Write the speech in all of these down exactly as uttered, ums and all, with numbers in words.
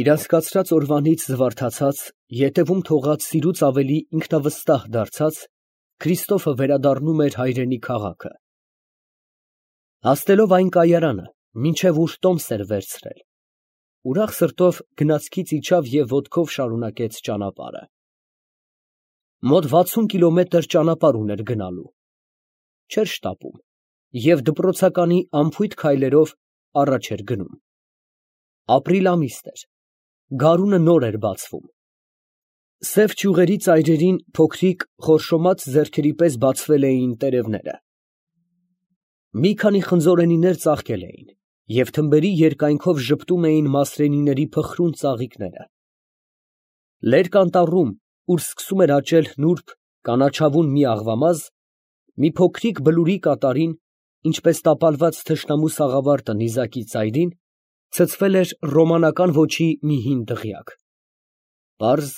Իր անցկացրած օրվանից զվարթացած, ետևում թողած սիրուց ավելի ինքնավստահ դարձած, Քրիստոֆը վերադառնում էր հայրենի քաղաքը։ Հասնելով այն կայարանը, մինչև ուր տոմս էր վերցրել, ուրախ սրտով գնացքից իջավ և ոտքով շարունակեց ճանապարհը։ Մոտ վաթսուն կիլոմետր ճանապարհ ուներ գնալու, չէր շտապում և դպրոցականի անփույթ քայլերով առաջ էր գնում։ Ապրիլ ամիսն էր, գարունը նոր էր բացվում։ Սև ճյուղերի ծայրերին փոքրիկ խորշոմած ձեռքերի պես բացվել էին տերևները։ Մի քանի խնձորենիներ ծաղկել էին, և թմբերի երկայնքով ժպտում էին մասրենիների փխրուն ծաղիկները։ Լերկ անտառում, ուր սկսում էր աճել նուրբ, կանաչավուն մի աղվամազ, մի փոքրիկ բլուրի կատարին, ինչպես տապալված թշնամու սաղավարտը նիզակի ծայրին, ցցվել էր ռոմանական ոճի մի հին դղյակ։ Պարզ,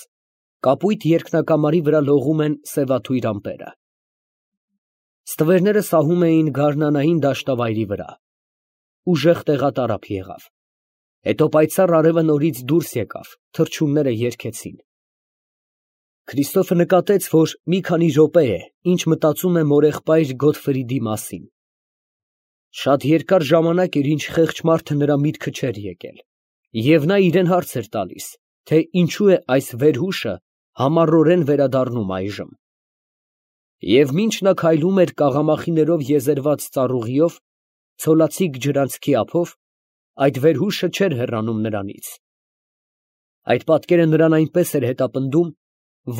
կապույտ երկնակամարի վրա լողում են սևաթույր ամպերը։ Ստվերները սահում էին գարնանային դաշտավայրի վրա։ Ուժեղ տեղատարափ եղավ։ Հետո պայծառ արևը նորից դուրս եկավ, թռչունները երգեցին։ Քրիստոֆը նկատեց, որ մի քանի րոպե է, ինչ մտածում է մորեղբայր Գոթֆրիդի մասին։ Շատ երկար ժամանակ էր, ինչ խեղճ մարդը նրա միտքը չէր եկել, և նա իրան հարց էր տալիս, թե ինչու է այս վերհուշը համառորեն վերադառնում այժմ։ Եվ մինչ նա քայլում էր կաղամախիներով եզերված ծառուղիով, ցոլացիկ ջրանցքի ափով, այդ վերհուշը չէր հեռանում նրանից։ Այդ պատկերը նրան այնպես էր հետապնդում,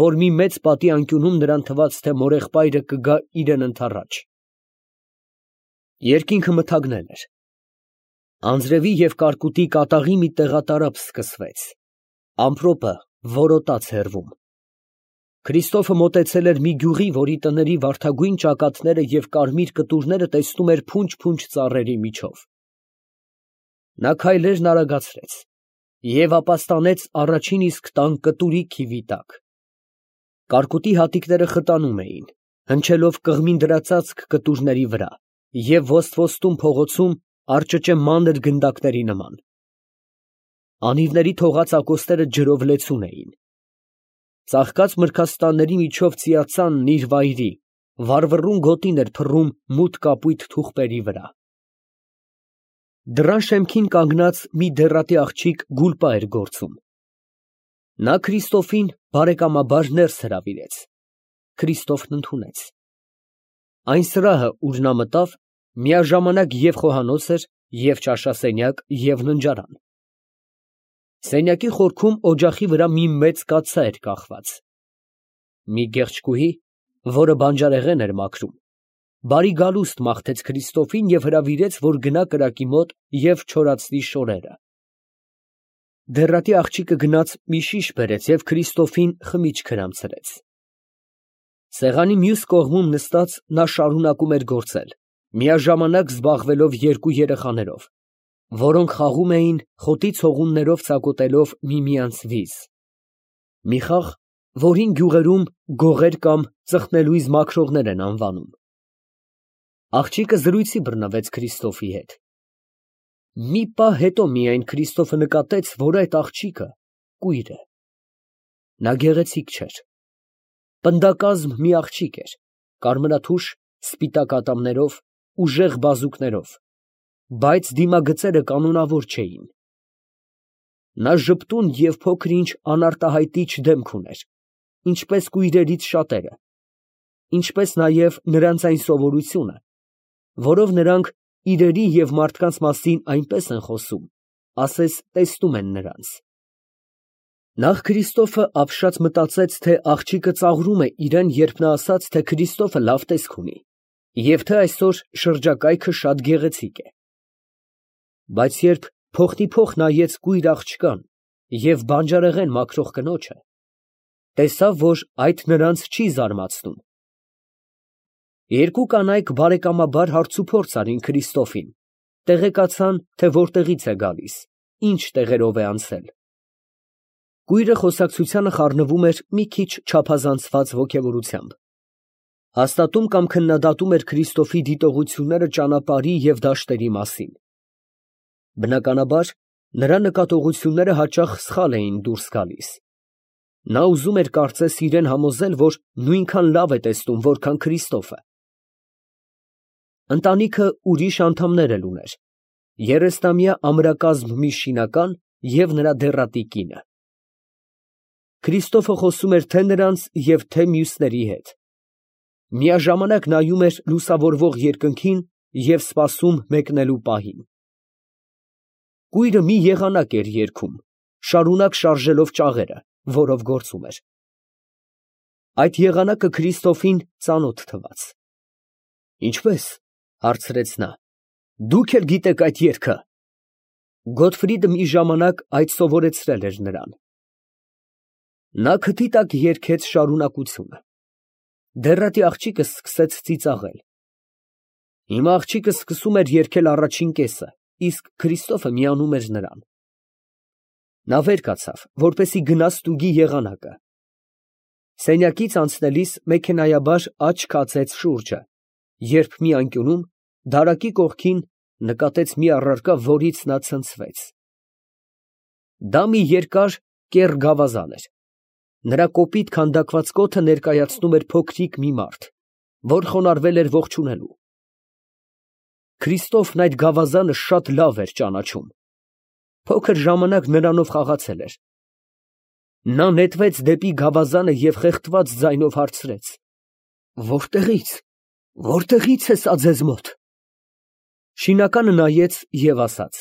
որ մի մեծ պատի անկյունում նրան թվաց, թե մորեղբայրը կգա իրան ընդառաջ։ Երկինքը մթագնել էր։ Անձրևի և կարկուտի կատաղի մի տեղատարափ սկսվեց։ Ամպրոպը որոտաց հեռվում։ Քրիստոֆը մոտեցել էր մի գյուղի, որի տների վարդագույն ճակատները և կարմիր կտուրները տեսնում էր փունջ֊փունջ ծառերի միջով։ Նա քայլերն արագացրեց և ապաստանեց առաջին իսկ տան կտուրի քիվի տակ։ Կարկուտի հատիկները խտանում էին, հնչելով կղմին դրածածկ կտուրների վրա և ոստ֊ոստում փողոցում արճճե մանր գնդակների նման։ Անիվների թողած ակոսները ջրով լեցուն էին։ Ծաղկած մրգաստանների միջով ծիածանն իր վայրի, վառվռուն գոտին էր փռում մութ կապույտ թուղպերի վրա։ Դռան շեմքին կանգնած մի դեռատի աղջիկ գուլպա էր գործում։ Նա Քրիստոֆին բարեկամաբար ներս հրավիրեց։ Քրիստոֆն ընդունեց։ Այն սրահը, ուր նա մտավ, միաժամանակ և խոհանոց էր, և ճաշասենյակ, և ննջարան։ Սենյակի խորքում օջախի վրա մի մեծ կաթսա էր կախված։ Մի գեղեցկուհի, որը բանջարեղեն էր մաքրում, բարի գալուստ մաղթեց Քրիստոֆին և հրավիրեց, որ գնա կրակի մոտ և չորացնի շորերը։ Դեռատի աղջիկը գնաց մի շիշ բերեց և Քրիստոֆին խմիչք հրամցրեց։ Սեղանի մյուս կողմում նստած նա շարունակում էր գործել, միաժամանակ զբաղվելով երկու երեխաներով, որոնք խաղում էին խոտի ցողուններով ծակոտելով միմյանց վիզ, մի խաղ, որին գյուղերում գողեր կամ ծխնելույզ մաքրողներ են անվանում։ Աղջիկը զրույցի բռնվեց Քրիստոֆի հետ։ Մի պահ հետո միայն Քրիստոֆը նկատեց, որ այդ աղջիկը կույր է։ Նա գեղեցիկ չէր։ Պնդակազմ մի աղջիկ էր, կարմրաթուշ, սպիտակ ատամներով, ուժեղ բազուկներով, բայց դիմագծերը կանոնավոր չէին։ Նա ժպտուն և փոքր֊ինչ անարտահայտիչ դեմք ուներ, ինչպես կույրերից շատերը, ինչպես նաև նրանց այն սովորությունը, որով նրանք իրերի և մարդկանց մասին այնպես են խոսում, ասես տեսնում են նրանց։ Նախ Քրիստոֆը ապշած մտածեց, թե աղջիկը ծաղրում է իրան, երբ նա ասաց, թե Քրիստոֆը լավ տեսք ունի, և թե այսօր շրջակայքը շատ գեղեցիկ է։ Բայց երբ փոխտիփոխ նայեց կույր աղջկան և բանջարեղեն մաքրող կնոջը, տեսավ, որ այդ նրանց չի զարմացնում։ Երկու կանայք բարեկամաբար հարցուփորձ արին Քրիստոֆին, տեղեկացան, թե որտեղից է գալիս, ինչ տեղերով է անցել։ Կույրը խոսակցությանը խառնվում էր մի քիչ չափազանցված ոգևորությամբ, հաստատում կամ քննադատում էր Քրիստոֆի դիտողությունները ճանապարհի և դաշտերի մասին։ Բնականաբար, Նրա նկատողությունները հաճախ սխալ էին դուրս գալիս. նա ուզում էր կարծես իրան համոզել, որ նույնքան լավ է տեսնում, որքան Քրիստոֆը։ Ընտանիքը ուրիշ անդամներ էլ ուներ. երեսնամյա ամրակազմ մի շինական և նրա դեռատի կինը։ Քրիստոֆը խոսում էր թե նրանց և թե մյուսների հետ. միաժամանակ նայում էր լուսավորվող երկնքին և սպասում մեկնելու պահին։ Կույրը մի եղանակ էր երգում, շարունակ շարժելով ճաղերը, որով գործում էր։ Այդ եղանակը Քրիստոֆին ծանոթ թվաց։ Ինչպե՞ս, հարցրեց նա, դուք էլ գիտեք այդ երգը։ Գոթֆրիդը մի ժամանակ այդ սովորեցրել էր նրան։ Նա քթի տակ երգեց շարունակությունը։ Դեռատի աղջիկը սկսեց ծիծաղել։ Հիմա աղջիկը սկսում էր երգել առաջին կեսը, իսկ Քրիստոֆը միանում էր նրան։ Նա վեր կացավ, որպեսզի գնա ստուգի եղանակը։ Սենյակից անցնելիս մեքենայաբար աչք հացեց շուրջը, երբ մի անկյունում, դարակի կողքին, նկատեց մի առարկա, որից նա ցնցվեց։ Դա մի երկար, կեռ գավազան էր։ Նրա կոպիտ քանդակված կոթը ներկայացնում էր փոքրիկ մի մարդ, որ խոնարհվել էր ողջունելու։ Քրիստոֆն այդ գավազանը շատ լավ էր ճանաչում։ Փոքր ժամանակ նրանով խաղացել էր։ Նա նետվեց դեպի գավազանը և խեղդված ձայնով հարցրեց. «Որտեղի՞ց, որտեղի՞ց է սա ձեզ մոտ»։ Շինականը նայեց և ասաց.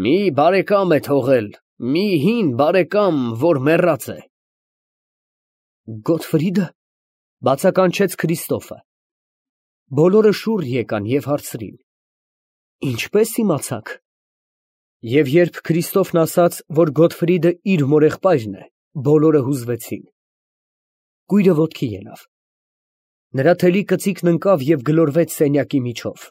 «Մի բարեկամ է թողել, մի հին բարեկամ, որ մեռած է»։ Գոթֆրի՞դը, բացականչեց Քրիստոֆը։ Բոլորը շուռ եկան և հարցրին. «Ինչպե՞ս իմացաք»։ Եվ երբ Քրիստոֆն ասաց, որ Գոթֆրիդը իր մորեղբայրն է, բոլորը հուզվեցին։ Կույրը ոտքի ելավ։ Նրա թելի կծիկն ընկավ և գլորվեց սենյակի միջով։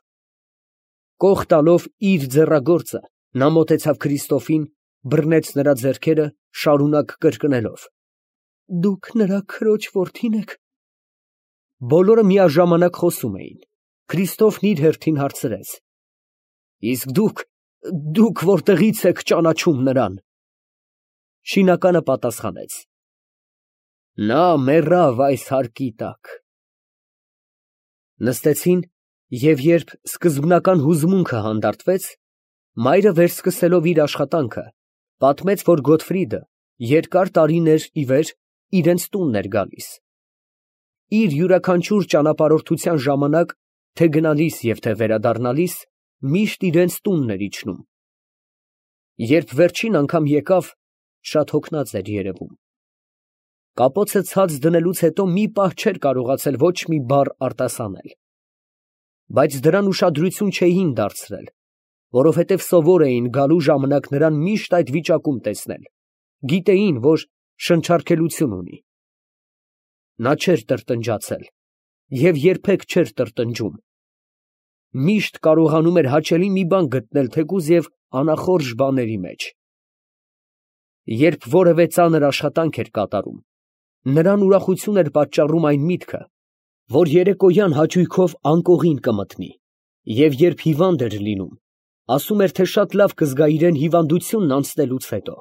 Կող տալով իր ձեռագործը, նա մոտեցավ Քրիստոֆին, բռնեց նրա ձեռքերը, շարունակ կրկնելով. «Դուք նրա քրոջ որդին եք»։ Բոլորը միաժամանակ խոսում էին։ Քրիստոֆն իր հերթին հարցրեց. «Իսկ դուք, դուք որտեղի՞ց եք ճանաչում նրան»։ Շինականը պատասխանեց. «Նա մեռավ այս հարկի տակ»։ Նստեցին, և երբ սկզբնական հուզմունքը հանդարտվեց, մայրը վերսկսելով իր աշխատանքը, պատմեց, որ Գոթֆրիդը երկար տարիներ ի վեր իրենց տունն էր գալիս։ Իր յուրաքանչյուր ճանապարհորդության ժամանակ, թե գնալիս և թե վերադառնալիս, միշտ իրենց տունն էր իջնում։ Երբ վերջին անգամ եկավ, շատ հոգնած էր երևում։ Կապոցը ցած դնելուց հետո մի պահ չէր կարողացել ոչ մի բառ արտասանել։ Բայց դրան ուշադրություն չէին դարձրել, որովհետև սովոր էին գալու ժամանակ նրան միշտ այդ վիճակում տեսնել, գիտեին, որ շնչառքելություն ունի։ Նա չէր տրտնջացել և երբեք չէր տրտնջում։ Միշտ կարողանում էր հաճելի մի բան գտնել թեկուզ և անախորժ բաների մեջ։ Երբ որևէ ծանր աշխատանք էր կատարում, նրան ուրախություն էր պատճառում այն միտքը, որ երեկոյան հաճույքով անկողին կմտնի, և երբ հիվանդ էր լինում, ասում էր, թե շատ լավ կզգա իրան հիվանդությունն անցնելուց հետո։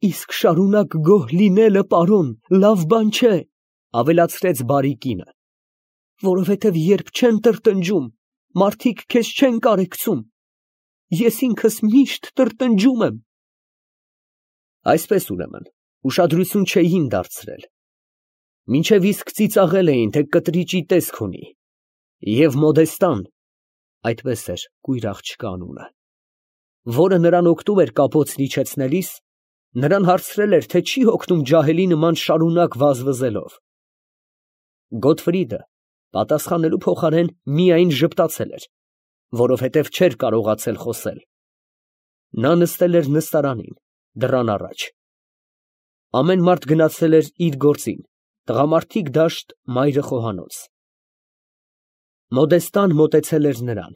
«Իսկ շարունակ գոհ լինելը, պարոն, լավ բան չէ», ավելացրեց բարի կինը, «որովհետև երբ չեն տրտնջում, մարդիկ քեզ չեն կարեկցում։ Ես ինքս միշտ տրտնջում եմ»։ Այսպես, ուրեմն, ուշադրություն չէին դարձրել։ Մինչև իսկ ծիծաղել էին, թե կտրիճի տեսք ունի։ Եվ Մոդեստան (այդպես էր կույր աղջկա անունը), որը նրան օգնում էր կապոցն իջեցնելիս, նրան հարցրել էր, թե չի հոգնում ջահելի նման շարունակ վազվզելով։ Գոթֆրիդը պատասխանելու փոխարեն միայն ժպտացել էր, որովհետև չէր կարողացել խոսել։ Նա նստել էր նստարանին, դռան առաջ։ Ամեն մարդ գնացել էր իր գործին, տղամարդիկ դաշտ, մայրը խոհանոց։ Մոդեստան մոտեցել էր նրան,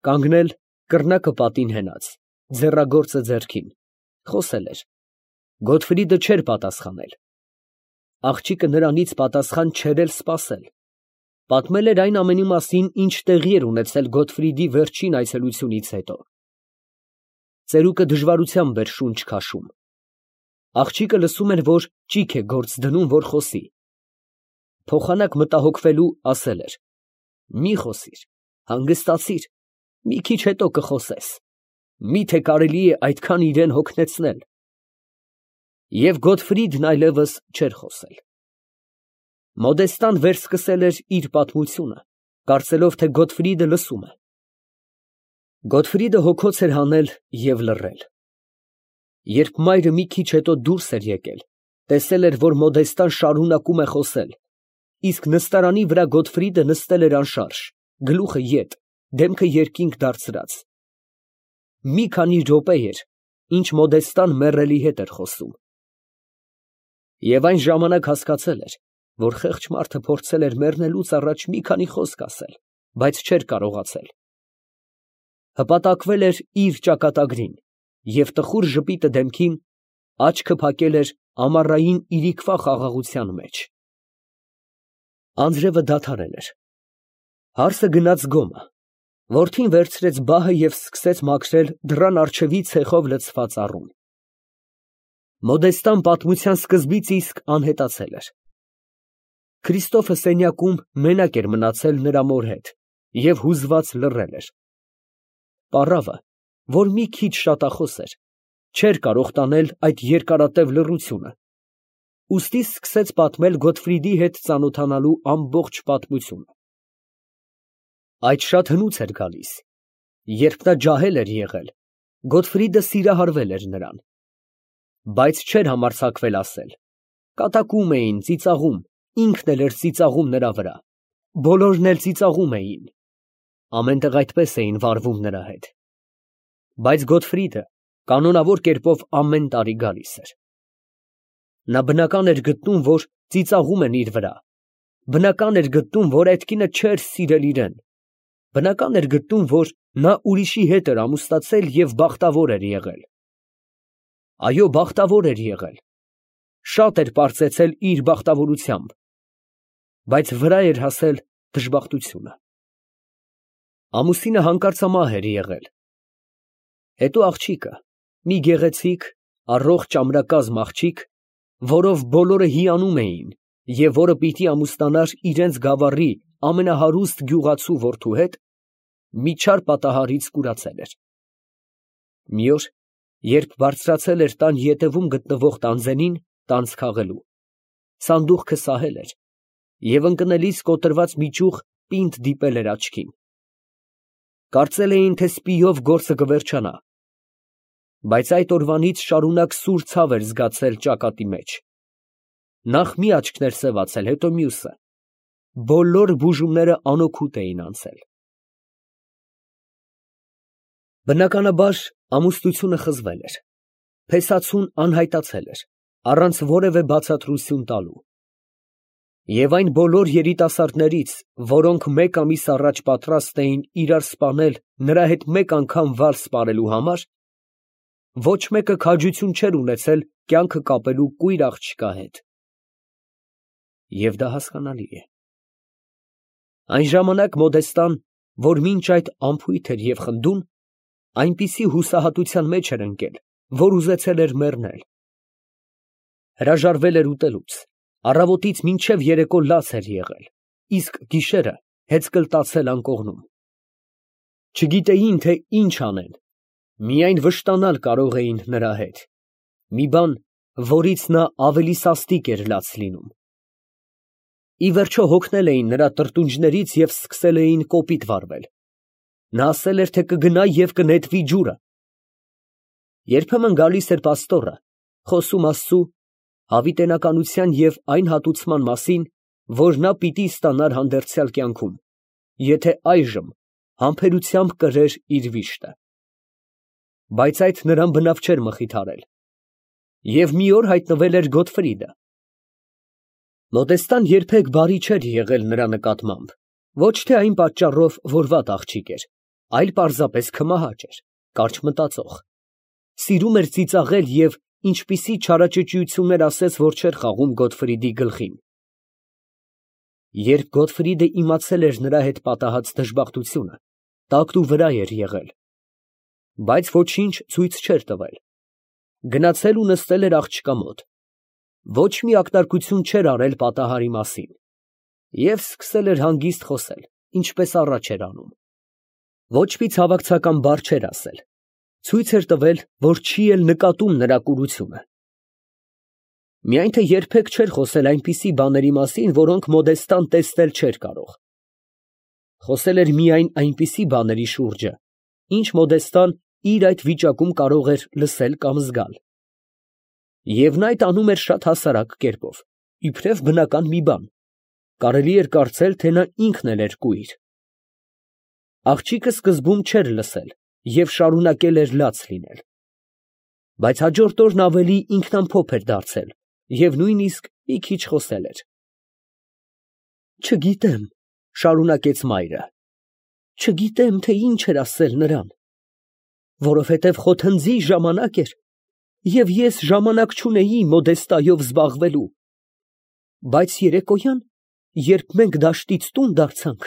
կանգնել կռնակը պատին հենած, ձեռագործը ձեռքին, խոսել էր։ Գոթֆրիդը չէր պատասխանել։ Աղջիկը նրանից պատասխան չէր էլ սպասել։ Պատմել էր այն ամենի մասին, ինչ տեղի էր ունեցել Գոթֆրիդի վերջին այցելությունից հետո։ ծերուկը դժվարությամբ էր շունչ քաշում։ Աղջիկը լսում էր, որ ճիգ է գործ դնում, որ խոսի։ Փոխանակ մտահոգվելու ասել էր. «Մի խոսիր, հանգստացիր, մի քիչ հետո կխոսես, մի՞թե կարելի է այդքան իրան հոգնեցնել»։ Եվ Գոտֆրիդն այլևս չէր խոսել։ Մոդեստան վերսկսել էր իր պատմությունը, կարծելով, թե Գոտֆրիդը լսում է։ Գոտֆրիդը հոգոց էր հանել և լռել։ Երբ մայրը մի քիչ հետո դուրս էր եկել, տեսել էր, որ Մոդեստան շարունակում է խոսել, իսկ նստարանի վրա Գոտֆրիդը նստել էր անշարժ, գլուխը ետ, դեմքը երկինք դարձրած։ Մի քանի րոպե էր, ինչ Մոդեստան մեռելի հետ էր խոսում։ Եվ այն ժամանակ հասկացել էր, որ խեղճ մարդը փորձել էր մեռնելուց առաջ մի քանի խոսք ասել, բայց չէր կարողացել։ Հպատակվել էր իր ճակատագրին և տխուր ժպիտը դեմքին, աչքը փակել էր ամառային իրիկվա խաղաղության մեջ։ Անձրևը դադարել էր։ Հարսը գնաց գոմը։ Որդին վերցրեց բահը և սկսեց մաքրել դռան առջևի ցեխով լցված առուն։ Մոդեստան պատմության սկզբից իսկ անհետացել էր։ Քրիստոֆը սենյակում մենակ էր մնացել նրա մոր հետ և հուզված լռել էր։ Պառավը, որ մի քիչ շատախոս էր, չէր կարող տանել այդ երկարատև լռությունը, ուստի սկսեց պատմել Գոտֆրիդի հետ ծանոթանալու ամբողջ պատմությունը։ Այդ շատ հնուց էր գալիս։ Երբ նա ջահել էր եղել, Գոտֆրիդը սիրահարվել էր նրան, բայց չէր համարձակվել ասել։ Կատակում էին, ծիծաղում, ինքն էլ էր ծիծաղում նրա վրա, բոլորն էլ ծիծաղում էին, ամեն տեղ այդպես էին վարվում նրա հետ։ Բայց Գոտֆրիդը կանոնավոր կերպով ամեն տարի գալիս էր։ Նա բնական էր գտնում, որ ծիծաղում են իր վրա, բնական էր գտնում, որ այդ կինը չէր սիրել իրան, բնական էր գտնում, որ նա ուրիշի հետ էր ամուսնացել և բախտավոր էր եղել։ Այո, բախտավոր էր եղել, շատ էր պարծեցել իր բախտավորությամբ, բայց վրա էր հասել դժբախտությունը։ Ամուսինը հանկարծամահ էր եղել։ Հետո աղջիկը, մի գեղեցիկ, առողջ ամրակազմ աղջիկ, որով բոլորը հիանում էին և որը պիտի ամուսնանար իրենց գավառի ամենահարուստ գյուղացու որդու հետ, մի չար պատահարից կուրացել էր։ Մի օր, երբ բարձրացել էր տան ետևում գտնվող տանձենին տանձ քաղելու, սանդուղքը սահել էր և ընկնելիս կոտրված մի ճյուղ պինդ դիպել էր աչքին։ Կարծել էին, թե սպիով գործը կվերջանա, բայց այդ օրվանից շարունակ սուր ցավ էր զգացել ճակատի մեջ։ Նախ մի աչքն էր սևացել, հետո մյուսը, բոլոր բուժումները անօգուտ էին անցել։ Բնականաբար ամուսնությունը խզվել էր, փեսացուն անհայտացել էր, առանց որևէ բացատրություն տալու։ Եվ այն բոլոր երիտասարդներից, որոնք մեկ ամիս առաջ պատրաստ էին իրար սպանել նրա հետ մեկ անգամ վալս պարելու համար, ոչ մեկը քաջություն չէր ունեցել կյանքը կապելու կույր աղջկա հետ։ Եվ դա հասկանալի է։ Այն ժամանակ Մոդեստան, որ մինչ այդ անփույթ էր և խնդուն, այնպիսի հուսահատության մեջ էր ընկել, որ ուզեցել էր մեռնել։ Հրաժարվել էր ուտելուց, առավոտից մինչև երեկո լաց էր եղել, իսկ գիշերը հեծկլտացել անկողնում։ Չգիտեին, թե ինչ անեն, միայն վշտանալ կարող էին նրա հետ, մի բան, որից նա ավելի սաստիկ էր լաց լինում։ Ի վերջո հոգնել էին նրա տրտունջներից և սկսել էին կոպիտ վարվել։ Նա ասել էր, թե կգնա և կնետվի ջուրը։ Երբեմն գալիս էր պաստորը, խոսում Աստծու հավիտենականության և այն հատուցման մասին, որ նա պիտի ստանար հանդերձյալ կյանքում, եթե այժմ համբերությամբ կրեր իր վիշտը։ Բայց այդ նրան բնավ չէր մխիթարել։ Եվ մի օր հայտնվել էր Գոտֆրիդը։ Մոդեստան երբեք բարի չէր եղել նրա նկատմամբ, ոչ թե այն պատճառով, որ վատ աղջիկ էր, այլ պարզապես քմահաճ էր, կարճ մտածող։ Սիրում էր ծիծաղել և ինչպիսի չարաճճիություններ ասեց, որ չէր խաղում Գոտֆրիդի գլխին։ Երբ Գոտֆրիդը իմացել էր նրա հետ պատահած դժբախտությունը, տակտու վրա էր եղել։ բայց ոչինչ ցույց չէր տվել։ Գնացել ու նստել էր աղջկա մոտ, ոչ մի ակնարկություն չէր արել պատահարի մասին և սկսել էր հանգիստ խոսել, ինչպես առաջ էր անում։ Ոչ մի ցավակցական բառ չէր ասել, ցույց էր տվել, որ չի էլ նկատում նրա կուրությունը։ Միայն թե երբեք չէր խոսել այնպիսի բաների մասին, որոնք Մոդեստան տեսնել չէր կարող։ Խոսել էր միայն այնպիսի բաների շուրջը, ինչ Մոդեստան իր այդ վիճակում կարող էր լսել կամ զգալ։ Եվ նա այդ անում էր շատ հասարակ կերպով, իբրև բնական մի բան, կարելի էր կարծել, թե նա ինքն էլ էր կույր։ Աղջիկը սկզբում չէր լսել և շարունակել էր լաց լինել, բայց հաջորդ օրն ավելի ինքնամփոփ էր դարձել և նույնիսկ մի քիչ խոսել էր։ «Չգիտեմ, ֊ շարունակեց մայրը, ֊ չգիտեմ, թե ինչ էր ասել նրան, որովհետև խոթնձի ժամանակ էր, և ես ժամանակ չունեի Մոդեստայով զբաղվելու, բայց երեկոյան, երբ մենք դաշտից տուն դարձանք,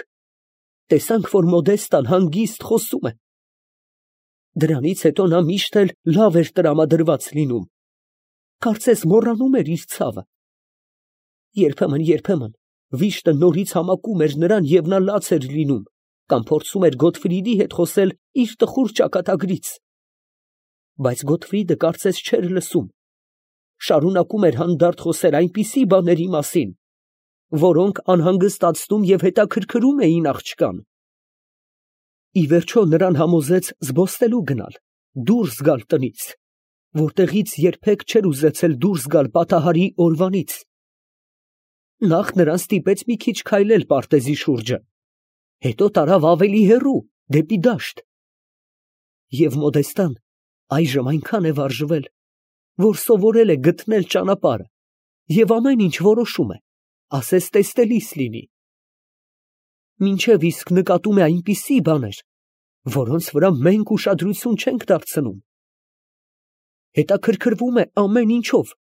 տեսանք, որ Մոդեստան հանգիստ խոսում է։ Դրանից հետո նա միշտ էլ լավ էր տրամադրված լինում, կարծես մոռանում էր իր ցավը։ Երբեմն, վիշտը նորից համակում էր նրան և նա լաց էր լինում կամ փորձում էր Գոթֆրիդի հետ խոսել իր տխուր ճակատագրից, բայց Գոթֆրիդը կարծես չէր լսում, շարունակում էր հանդարտ խոսել այնպիսի բաների մասին, որոնք անհանգստացնում և հետաքրքրում էին աղջկան։ Ի վերջո նրան համոզեց զբոսնելու գնալ, դուրս գալ տնից, որտեղից երբեք չէր ուզեցել դուրս գալ պատահարի օրվանից։ Նախ նրան ստիպեց մի քիչ քայլել պարտեզի շուրջը, հետո տարավ ավելի հեռու, դեպի դաշտ։ Եվ Մոդեստան այժմ այնքան է վարժվել, որ սովորել է գտնել ճանապարհը և ամեն ինչ որոշում է, ասես տեսնելիս լինի։ Մինչև իսկ նկատում է այնպիսի բաներ, որոնց վրա մենք ուշադրություն չենք դարձնում։ Հետաքրքրվում է ամեն ինչով,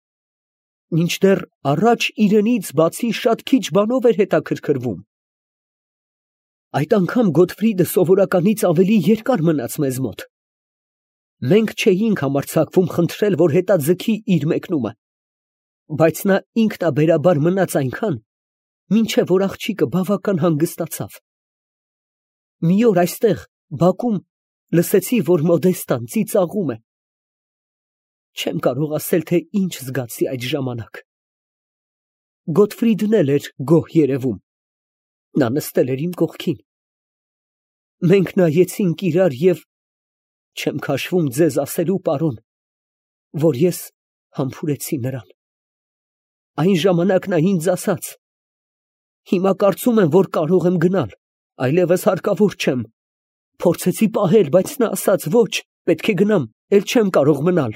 մինչդեռ առաջ իրենից բացի շատ քիչ բանով էր հետաքրքրվում։ Այդ անգամ Գոթֆրիդը սովորականից ավելի երկար մնաց մեզ մոտ։ Մենք չէինք համարձակվում խնդրել, որ հետաձգի իր մեկնումը, բայց նա ինքնաբերաբար մնաց այնքան, մինչև որ աղջիկը բավական հանգստացավ։ Մի օր այստեղ, բակում, լսեցի, որ Մոդեստան ծիծաղում է։ Չեմ կարող ասել, թե ինչ զգացի այդ ժամանակ։ Գոթֆրիդն էլ էր գոհ երևում, նա նստել էր իմ կողքին։ Մենք նայեցինք իրար և չեմ քաշվում ձեզ ասելու, պարոն, որ ես համբուրեցի նրան։ Այն ժամանակ նա ինձ ասաց. «Հիմա կարծում եմ, որ կարող եմ գնալ, այլևս հարկավոր չեմ»։ Փորձեցի պահել, բայց նա ասաց. «Ոչ, պետք է գնամ, էլ չեմ կարող մնալ»։